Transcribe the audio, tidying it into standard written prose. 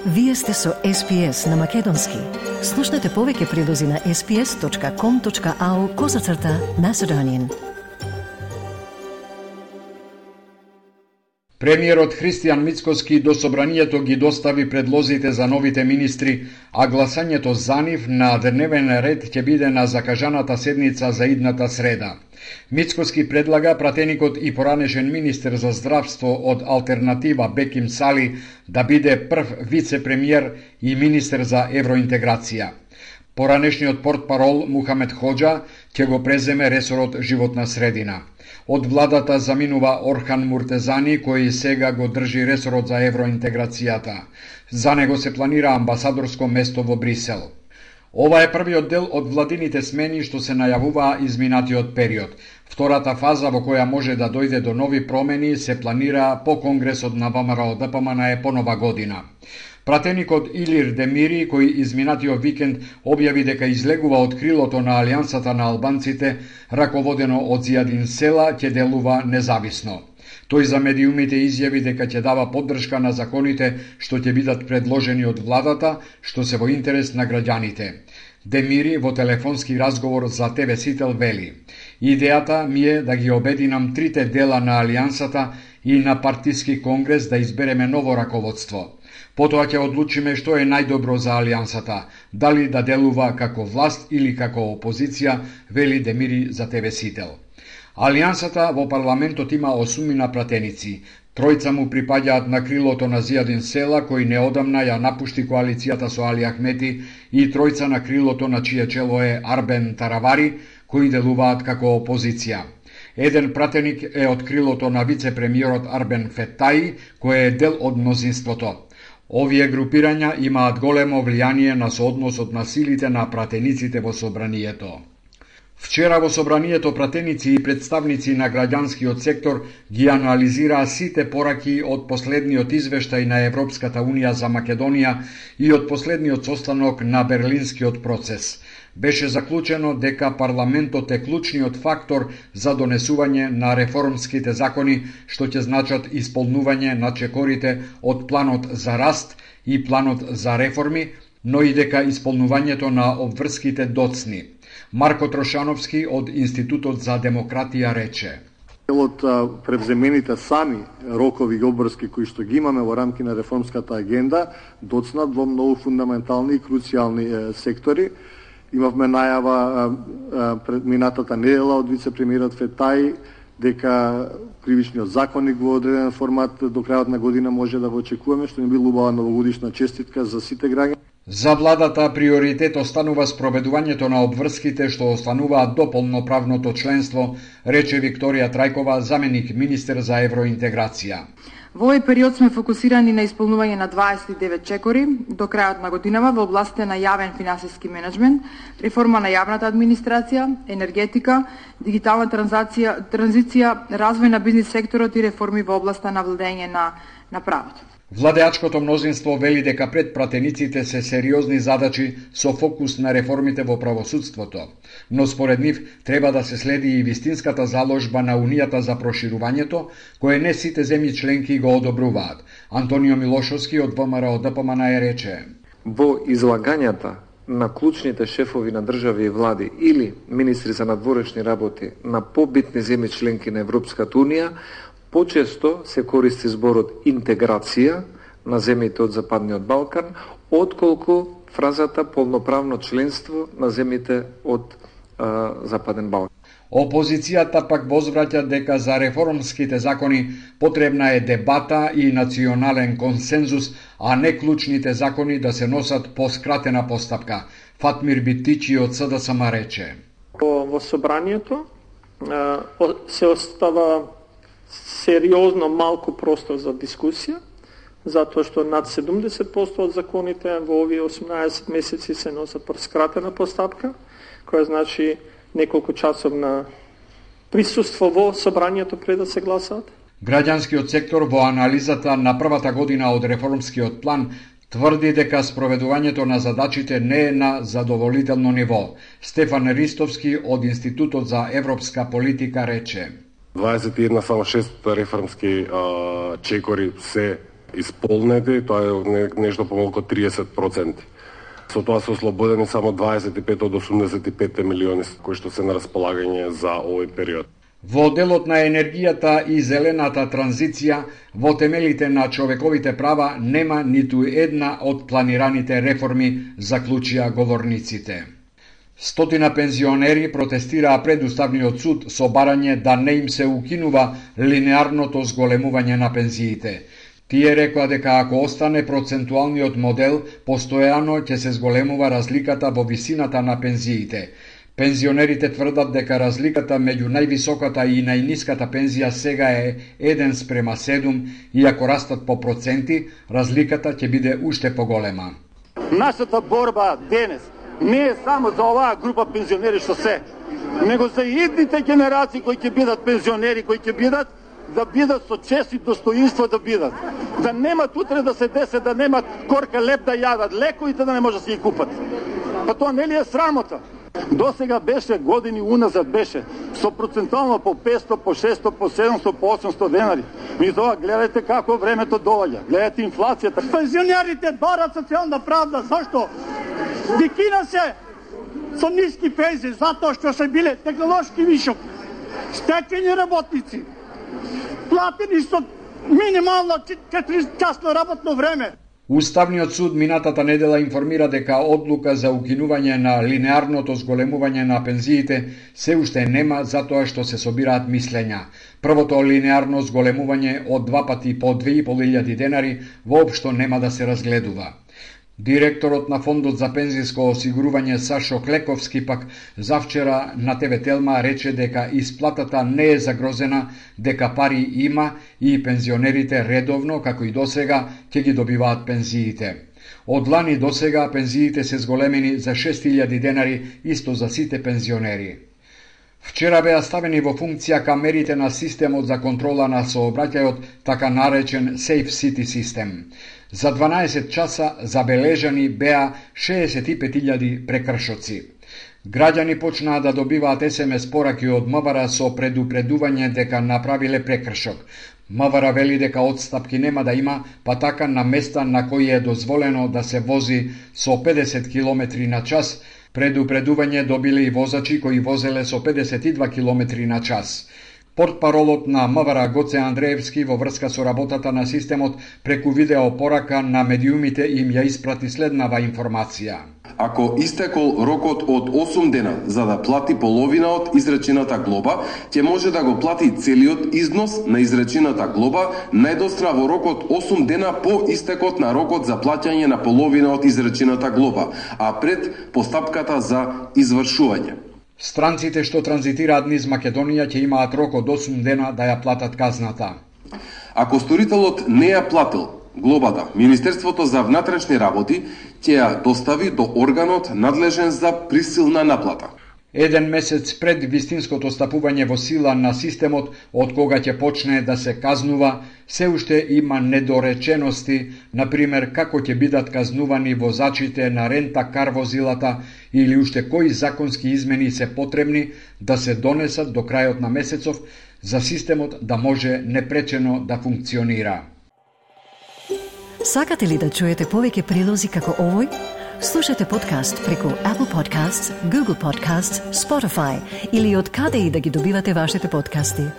Вие сте со SPS на Македонски. Слушнете повеќе прилози на sps.com.au/Macedonian. Премиерот Христијан Мицкоски до собранието ги достави предлозите за новите министри, а гласањето за нив на дневен ред ќе биде на закажаната седница за идната среда. Мицкоски предлага пратеникот и поранешен министер за здравство од Алтернатива Беким Сали да биде прв вице-премиер и министер за евроинтеграција. Поранешниот портпарол Мухамед Ходжа ќе го преземе ресорот животна средина. Од владата заминува Орхан Муртезани, кој сега го држи ресорот за евроинтеграцијата. За него се планира амбасадорско место во Брисел. Ова е првиот дел од владините смени што се најавуваа изминатиот период. Втората фаза во која може да дојде до нови промени се планира по Конгресот на ВМРО-ДПМН по нова година. Пратеникот Илир Демири, кој изминатиот викенд објави дека излегува од крилото на Алијансата на албанците, раководено од Зијадин Села, ќе делува независно. Тој за медиумите изјави дека ќе дава поддршка на законите што ќе бидат предложени од владата, што се во интерес на граѓаните. Демири во телефонски разговор за ТВ Сител вели: "Идејата ми е да ги обединам трите дела на Алијансата и на партиски конгрес да избереме ново раководство. Потоа ќе одлучиме што е најдобро за Алијансата, дали да делува како власт или како опозиција", вели Демири за ТВ Сител. Алијансата во парламентот има 8 пратеници. Тројца му припаѓаат на крилото на Зијадин Села, кој неодамна ја напушти коалицијата со Али Ахмети, и тројца на крилото на чие чело е Арбен Таравари, кои делуваат како опозиција. Еден пратеник е од крилото на вице-премиерот Арбен Фетаи, кој е дел од мнозинството. Овие групирања имаат големо влијание на соодносот на силите на пратениците во собранието. Вчера во собранието пратеници и представници на граѓанскиот сектор ги анализираа сите пораки од последниот извештај на Европската Унија за Македонија и од последниот состанок на Берлинскиот процес. Беше заклучено дека парламентот е клучниот фактор за донесување на реформските закони, што ќе значат исполнување на чекорите од планот за раст и планот за реформи, но и дека исполнувањето на обврските доцни. Марко Трошановски од Институтот за демократија рече: Од превземените сами рокови и обврски кои што ги имаме во рамки на реформската агенда доцнат во многу фундаментални и круцијални сектори. Имавме најава пред минатата недела од вице-премиерот Фетаи дека кривичниот законник во одреден формат до крајот на година може да го очекуваме, што ни би убава новогодишна честитка за сите граѓани. За владата приоритет останува спроведувањето на обврските што остануваат до полноправното членство, рече Викторија Трајкова, заменик министер за евроинтеграција. Во овој период сме фокусирани на исполнување на 29 чекори до крајот на годинава во областта на јавен финансиски менеджмент, реформа на јавната администрација, енергетика, дигитална транзиција, развој на бизнис секторот и реформи во областта на владење на правото. Владеачкото мнозинство вели дека пред пратениците се сериозни задачи со фокус на реформите во правосудството, но според нив треба да се следи и вистинската заложба на Унијата за проширувањето, кое не сите земји членки го одобруваат. Антонио Милошовски од ВМРО-ДПМН рече: "Во излагањата на клучните шефови на држави и влади или министри за надворешни работи на побитни земји членки на Европската Унија, почесто се користи зборот интеграција на земјите од Западниот Балкан, отколку фразата полноправно членство на земјите од Западен Балкан. Опозицијата пак возвраќа дека за реформските закони потребна е дебата и национален консензус, а не клучните закони да се носат по скратена постапка. Фатмир Битичи од СДСМ рече: Во собранието се остава сериозно малку простор за дискусија, затоа што над 70% од законите во овие 18 месеци се носат по скратена постапка, која значи неколку часовна присуство во собранието пред да се гласаат. Граѓанскиот сектор во анализата на првата година од реформскиот план тврди дека спроведувањето на задачите не е на задоволително ниво. Стефан Ристовски од Институтот за европска политика рече: 21 само 6 реформски чекори се исполнети, тоа е нешто помалку 30%. Со тоа се ослободени само 25 од 85 милиони кои што се на располагање за овој период. Во делот на енергијата и зелената транзиција, во темелите на човековите права нема ниту една од планираните реформи, заклучија говорниците. Стотина пензионери протестираа пред Уставниот суд со барање да не им се укинува линеарното зголемување на пензиите. Тие рекоа дека ако остане процентуалниот модел, постојано ќе се зголемува разликата во висината на пензиите. Пензионерите тврдат дека разликата меѓу највисоката и најниската пензија сега е 1:7 и ако растат по проценти, разликата ќе биде уште поголема. Нашата борба денес не е само за оваа група пензионери што се, него за идните генерации кои ќе бидат пензионери, кои ќе бидат да бидат со чест и достоинство да бидат. Да немат утре да се десе, да немат корка леп да јадат, лековите да не може да се ги купат. Па тоа не ли е срамота? До сега беше, години уназад беше, со процентуално по 500, по 600, по 700, по 800 денари. И тоа гледате како времето доаѓа, гледате инфлацијата. Пензионерите барат социјална правда, зашто? Дикина се со ниски пензии, затоа што се биле технолошки вишок, стечени работници, платени со минимално 4-часно работно време. Уставниот суд минатата недела информира дека одлука за укинување на линеарното зголемување на пензиите се уште нема затоа што се собираат мислења. Првото линеарно зголемување од 2 пати по 2.500 денари воопшто нема да се разгледува. Директорот на Фондот за пензиско осигурување Сашо Клековски пак завчера на ТВ Телма рече дека исплатата не е загрозена, дека пари има и пензионерите редовно, како и досега, ќе ги добиваат пензиите. Од лани досега пензиите се зголемени за 6.000 денари, исто за сите пензионери. Вчера беа ставени во функција камерите на системот за контрола на сообраќајот, така наречен Safe City систем. За 12 часа забележани беа 65.000 прекршоци. Граѓани почнаа да добиваат SMS пораки од МВР со предупредување дека направиле прекршок. МВР вели дека отстапки нема да има, па така на места на кои е дозволено да се вози со 50 км на час, предупредување добиле и возачи кои возеле со 52 км на час. Портпаролот на МВР Гоце Андреевски во врска со работата на системот преку видео порака на медиумите им ја испрати следнава информација. Ако истекол рокот од 8 дена за да плати половина од изречената глоба, ќе може да го плати целиот износ на изречената глоба најдостра во рокот 8 дена по истекот на рокот за плаќање на половина од изречената глоба, а пред постапката за извршување. Странците што транзитираат низ Македонија ќе имаат рок од 8 дена да ја платат казната. Ако сторителот не ја платил глобата, Министерството за внатрешни работи ќе ја достави до органот надлежен за присилна наплата. Еден месец пред вистинското стапување во сила на системот, од кога ќе почне да се казнува, се уште има недоречености, например како ќе бидат казнувани возачите на рента-кар возилата или уште кои законски измени се потребни да се донесат до крајот на месецов за системот да може непречено да функционира. Сакате ли да чуете повеќе прилози како овој? Слушате подкаст преку Apple Podcasts, Google Podcasts, Spotify или од каде и да ги добивате вашите подкасти.